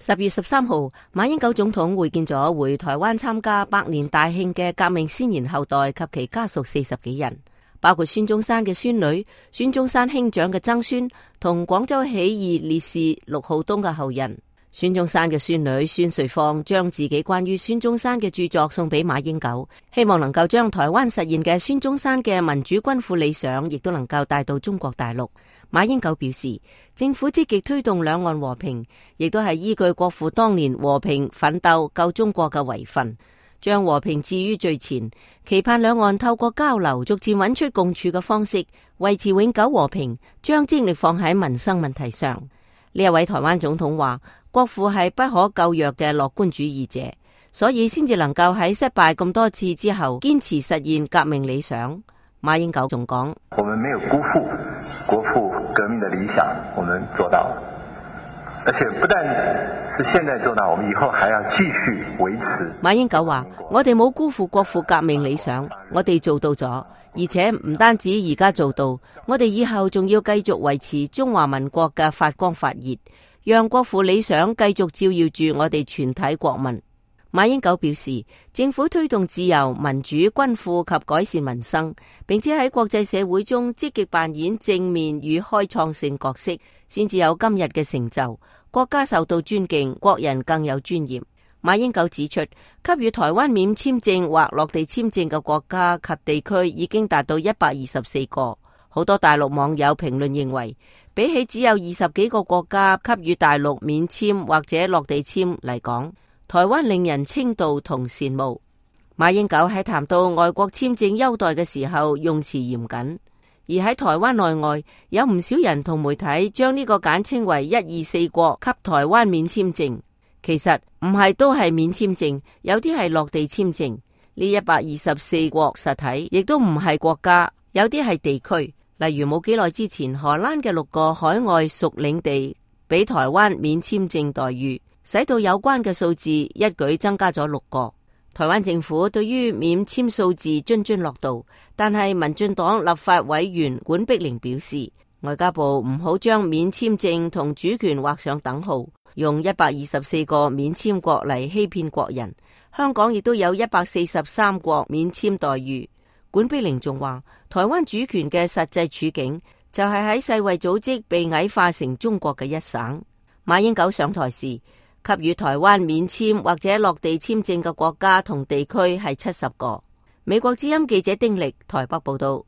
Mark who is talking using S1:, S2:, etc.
S1: 10月13號，馬英九總統會見咗回台灣參加百年大慶嘅革命先賢後代及其家屬40幾人，包括孫中山嘅孫女、孫中山兄長嘅曾孫同廣州起義烈士陸浩東嘅後人。孫中山嘅孫女孫瑞芳將自己關於孫中山嘅著作送俾馬英九，希望能夠將台灣實現嘅孫中山嘅民主均富理想，亦都能夠帶到中國大陸。馬英九表示，政府積極推動兩岸和平，亦都係依據國父當年和平奮鬥救中國嘅遺訓，將和平置於最前，期盼兩岸透過交流，逐漸揾出共處嘅方式，維持永久和平，將精力放喺民生問題上。呢一位台灣總統話，國父係不可救藥嘅樂觀主義者，所以先至能夠喺失敗咁多次之後堅持實現革命理想。馬英九仲講，
S2: 我們沒有辜負國父革命的理想，我們做到了，而且不但是現在做到，我們以後還要繼續維持。
S1: 馬英九話，我哋冇辜負國父革命理想，我哋做到咗，而且唔單止而家做到，我哋以後仲要繼續維持中華民國嘅發光發熱，讓國父理想繼續照耀住我哋全體國民。馬英九表示，政府推動自由、民主、均富及改善民生，並且喺國際社會中積極扮演正面與開創性角色，先至有今日嘅成就，國家受到尊敬，國人更有尊嚴。馬英九指出，給予台灣免簽證或落地簽證嘅國家及地區已經達到124個。好多大陸網友評論認為，比起只有20幾個國家給予大陸免簽或者落地簽嚟講，台灣令人稱道同羨慕。馬英九喺談到外國簽證優待嘅時候用詞嚴謹，而喺台灣內外有唔少人同媒體將呢個簡稱為124國給台灣免簽證，其實唔係都係免簽證，有啲係落地簽證。呢124國實體亦都唔係國家，有啲係地區，例如冇幾耐之前荷蘭嘅6個海外屬領地俾台灣免簽證待遇，使到有關嘅數字一舉增加咗6個。台灣政府對於免簽數字津津樂道，但係民進黨立法委員管碧玲表示，外交部唔好將免簽證同主權畫上等號，用124個免簽國嚟欺騙國人。香港亦都有143國免簽待遇。管碧玲仲話，台灣主權嘅實際處境就係喺世衛組織被矮化成中國嘅一省。馬英九上台時，給予台灣免簽或者落地簽證嘅國家同地區係70個。美國之音記者丁力台北報道。